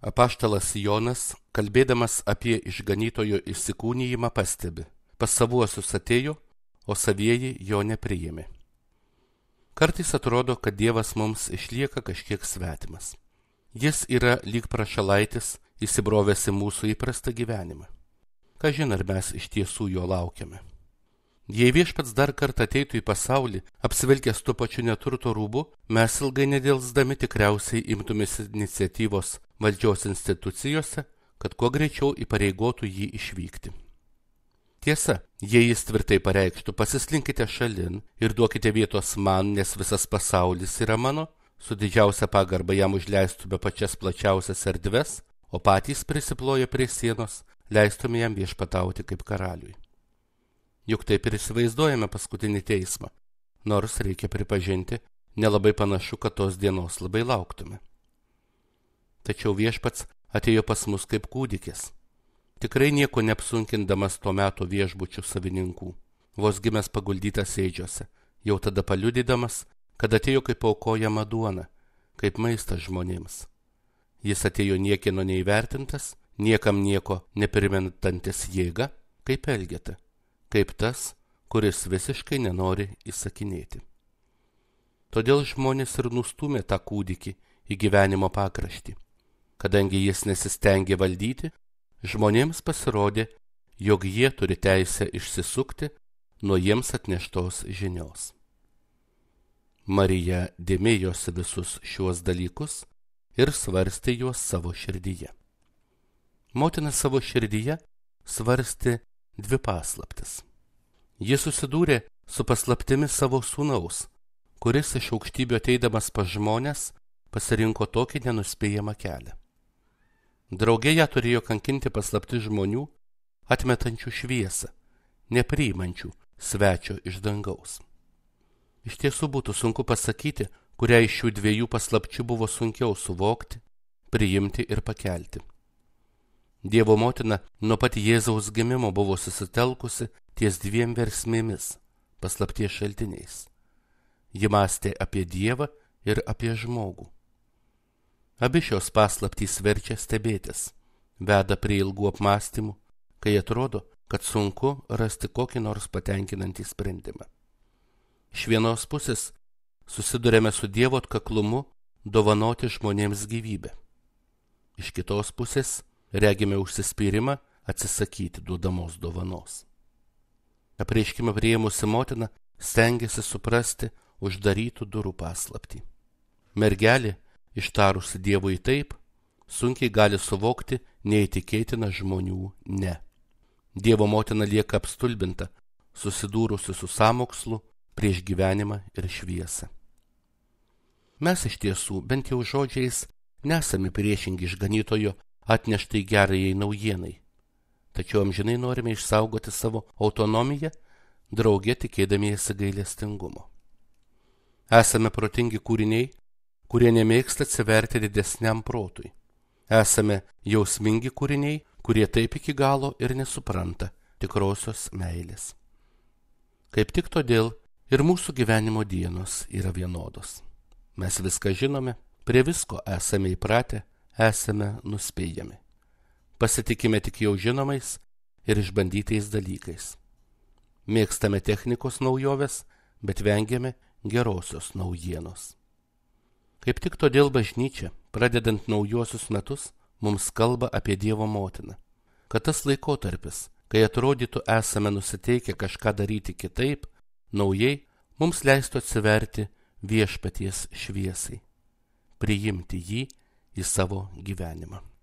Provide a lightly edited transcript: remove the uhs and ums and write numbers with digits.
Apaštalas Jonas, kalbėdamas apie išganytojo įsikūnijimą, pastebi: pas savuosius atėjo, o savieji jo nepriėmė. Kartais atrodo, kad Dievas mums išlieka kažkiek svetimas. Jis yra lyg prašalaitis, įsibrovęs į mūsų įprastą gyvenimą. Kažin ar mes iš tiesų jo laukiame. Jei Viešpats dar kartą ateitų į pasaulį, apsivilkęs tuo pačiu neturto rūbu, mes ilgai nedelsdami tikriausiai imtumės iniciatyvos valdžios institucijose, kad kuo greičiau įpareigotų jį išvykti. Tiesa, jei jis tvirtai pareikštų: pasislinkite šalin ir duokite vietos man, nes visas pasaulis yra mano, su didžiausia pagarba jam užleistume pačias plačiausias erdves, o patys prisiploję prie sienos leistume jam viešpatauti kaip karaliui. Juk taip ir įsivaizduojame paskutinį teismą, nors reikia pripažinti, nelabai panašu, kad tos dienos labai lauktume. Tačiau Viešpats atėjo pas mus kaip kūdikis, tikrai nieko neapsunkindamas to meto viešbučių savininkų, vos gimęs paguldytas ėdžiose, jau tada paliudydamas, kad atėjo kaip aukojama duona, kaip maistas žmonėms. Jis atėjo niekieno neįvertintas, niekam nieko neprimentantis jėga, kaip Elgeta, kaip tas, kuris visiškai nenori įsakinėti. Todėl žmonės ir nustūmė tą kūdikį į gyvenimo pakraštį. Kadangi jis nesistengė valdyti, žmonėms pasirodė, jog jie turi teisę išsisukti nuo jiems atneštos žinios. Marija dėmėjosi visus šiuos dalykus ir svarstė juos savo širdyje. Motina savo širdyje svarstė dvi paslaptis. Ji susidūrė su paslaptimis savo sūnaus, kuris iš aukštybių ateidamas pas žmones pasirinko tokį nenuspėjamą kelią. Drauge ją turėjo kankinti paslapti žmonių, atmetančių šviesą, nepriimančių svečio iš dangaus. Iš tiesų būtų sunku pasakyti, kurią iš šių dviejų paslapčių buvo sunkiau suvokti, priimti ir pakelti. Dievo motina nuo pat Jėzaus gimimo buvo susitelkusi ties dviem versmėmis, paslapties šaltiniais. Ji mąstė apie Dievą ir apie žmogų. Abi šios paslaptys verčia stebėtis, veda prie ilgų apmąstymų, kai atrodo, kad sunku rasti kokį nors patenkinantį sprendimą. Iš vienos pusės susidurėme su Dievo atkaklumu dovanoti žmonėms gyvybę. Iš kitos pusės regime užsispyrimą atsisakyti duodamos dovanos. Apreiškimą priėmusi motina stengiasi suprasti uždarytų durų paslaptį. Mergelė, ištarusi Dievui taip, sunkiai gali suvokti neįtikėtiną žmonių ne. Dievo motina lieka apstulbinta, susidūrusi su sąmokslu prieš gyvenimą ir šviesą. Mes iš tiesų, bent jau žodžiais, nesame priešingi išganytojo atneštai gerajai naujienai, tačiau amžinai norime išsaugoti savo autonomiją, drauge tikėdamiesi gailestingumo. Esame protingi kūriniai, kurie nemėgsta atsiverti didesniam protui. Esame jausmingi kūriniai, kurie taip iki galo ir nesupranta tikrosios meilės. Kaip tik todėl ir mūsų gyvenimo dienos yra vienodos. Mes viską žinome, prie visko esame įpratę, esame nuspėjami. Pasitikime tik jau žinomais ir išbandytais dalykais. Mėgstame technikos naujoves, bet vengiame gerosios naujienos. Kaip tik todėl bažnyčia, pradedant naujuosius metus, mums kalba apie Dievo motiną, kad tas laikotarpis, kai atrodytų esame nusiteikę kažką daryti kitaip, naujai, mums leistų atsiverti Viešpaties šviesai, priimti jį į savo gyvenimą.